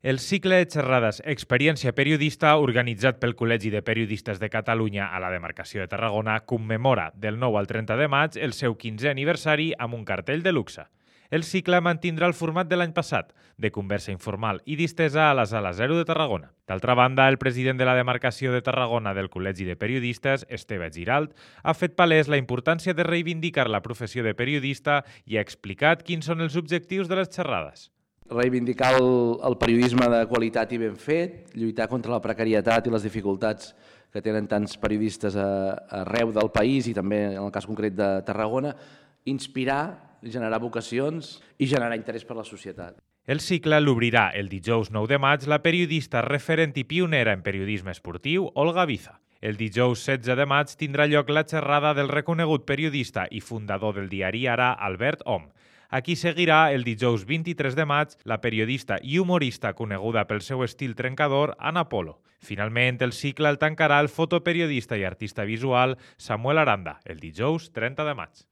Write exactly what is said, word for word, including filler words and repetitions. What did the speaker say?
El cicle de xerrades Experiència Periodista, organitzat pel Col·legi de Periodistes de Catalunya a la demarcació de Tarragona, commemora del nou al trenta de maig el seu quinzè aniversari amb un cartell de luxe. El cicle mantindrà el format de l'any passat, de conversa informal i distesa a la Sala Zero de Tarragona. D'altra banda, el president de la demarcació de Tarragona del Col·legi de Periodistes, Esteve Giralt, ha fet palès la importància de reivindicar la professió de periodista i ha explicat quins són els objectius de les xerrades. Reivindicar el, el periodisme de qualitat i ben fet, lluitar contra la precarietat i les dificultats que tenen tants periodistes a, arreu del país i també en el cas concret de Tarragona, inspirar, generar vocacions i generar interès per la societat. El cicle l'obrirà el dijous nou de maig la periodista referent i pionera en periodisme esportiu, Olga Viza. El dijous setze de maig tindrà lloc la xerrada del reconegut periodista i fundador del diari Ara, Albert Om. Aquí seguirà el dijous vint-i-tres de maig la periodista i humorista coneguda pel seu estil trencador, Ana Polo. Finalment, el cicle el tancarà el fotoperiodista i artista visual Samuel Aranda, el dijous trenta de maig.